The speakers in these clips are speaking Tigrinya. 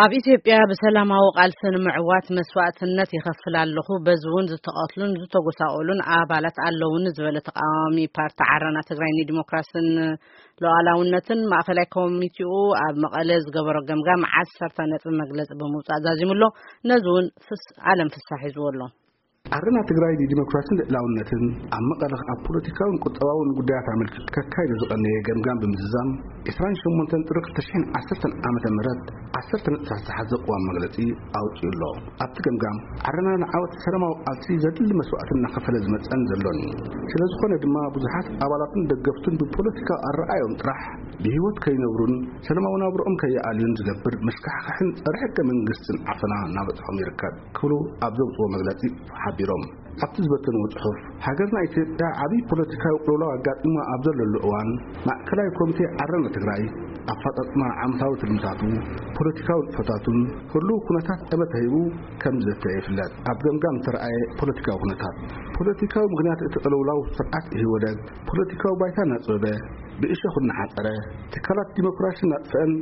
ኣብ ኢትዮጵያ ብሰላማዊ ቃልሲ ንምዕዋት መስዋእትነት ይኸፍል ኣለኹ፣ በዚ እውን ዝተቐትሉን ዝተጎሳቆሉን ኣባላት ኣለውኒ ዝበለ ተቃዋሚ ፓርቲ ዓረና ትግራይ ንዲሞክራስን ሉዓላውነትን ማእኸላይ ኮሚቴኡ ኣብ መቐለ ዝገበሮ ገምጋም ዓሰርተ ነጥቢ መግለፂ ብምውፃእ ዛዚሙ ኣሎ። ነዚ እውን ፍስ-፣ ኣለም ፍሳሕ ሒዝዎ ኣሎ። ዓረና ትግራይ ንዲሞክራስን ልዕላውነትን ኣብ መቐለ ኣብ ፖለቲካውን ቁጠባውን ጉዳያት ኣመልኪቱ ከካይዶ ዝቐነየ ገምጋም ብምዝዛም፣ ዕስራን ሸሞንተን ጥሪ ክልተ ሽሕን ዓሰርተን ዓመተ ምህረት ዓሰርተ ነጥብታት ዝሓዘ ቅዋም መግለጺ ኣውጺኡ ኣሎ። ኣብቲ ገምጋም፣ ዓረና ንዓወት ሰላማዊ ቃልሲ ዘድሊ መስዋእቲ እናኸፈለ ዝመጸን ዘሎን እዩ። ስለ ዝኾነ ድማ፣ ብዙሓት ኣባላቱን ደገፍቱን ብፖለቲካዊ ኣረኣዮም ጥራሕ ብህይወት ከይነብሩን ሰላማዊ ናብርኦም ከይኣልዩን ዝገብር መሽካሕካሕን ጸረ ሕገ መንግስትን ዓፈና እናበጽሖም ይርከብ ክብሉ ኣብ ዘውጽዎ መግለጺ ሓቢሮም። ኣብቲ ዝበተንዎ ጽሑፍ፣ ሃገርና ኢትዮጵያ ዓብዪ ፖለቲካዊ ቅልውላው ኣጋጢሞ ኣብ ዘለሉ እዋን፣ ማእከላይ ኮሚቴ ዓረና ትግራይ ኣፈጻጽማ ዓመታዊ ትልምታቱ፣ ፖለቲካዊ ንጥፈታቱን ህሉው ኩነታት ጠመተ ሂቡ ከም ዘተ ይፍለጥ። ኣብ ገምጋም ዝተረኣየ ፖለቲካዊ ኩነታት፣ ፖለቲካዊ ምኽንያት እቲ ቅልውላው ስርዓት ኢህወደግ ፖለቲካዊ ባይታ እናጽበበ፣ ብእሾኽ እናሓጸረ፣ ትካላት ዲሞክራሲ እናጥፍአን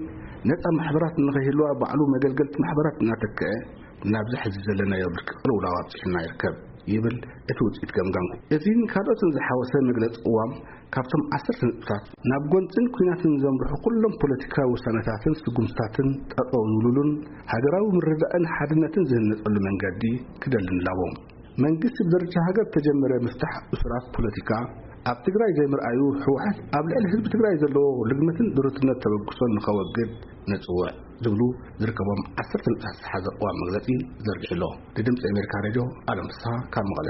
ነጻ ማሕበራት ንኸይህልዋ ባዕሉ መገልገልቲ ማሕበራት እናተክአ፣ ናብዚ ሕዚ ዘለናዮ ብርቂ ቅልውላው ኣብፂሑና ይርከብ ይብል እቲ ውፅኢት ገምጋም። እዚን ካልኦትን ዝሓወሰ መግለፂ ቅዋም፣ ካብቶም ዓሰርተ ነጥብታት፣ ናብ ጎንፅን ኲናትን ዘምርሑ ኩሎም ፖለቲካዊ ውሳነታትን ስጉምትታትን ጠጠው ዝብሉሉን ሃገራዊ ምርድዳእን ሓድነትን ዝህነፀሉ መንገዲ ክደልን ኣለዎ። መንግስቲ ብደረጃ ሃገር ተጀመረ ምፍታሕ እሱራት ፖለቲካ ኣብ ትግራይ ዘይምርኣዩ፣ ህወሓት ኣብ ልዕሊ ህዝቢ ትግራይ ዘለዎ ልግመትን ድሩትነት ተበግሶን ንኸወግድ ነፅውዕ ዝብሉ ዝርከቦም ዓሰርተ ነጥብታት ዝሓዘ ቅዋም መግለፂ ዘርጊሑ ኣሎ። ንድምፂ ኣሜሪካ ሬድዮ ኣለም ፍስሃ ካብ መቐለ።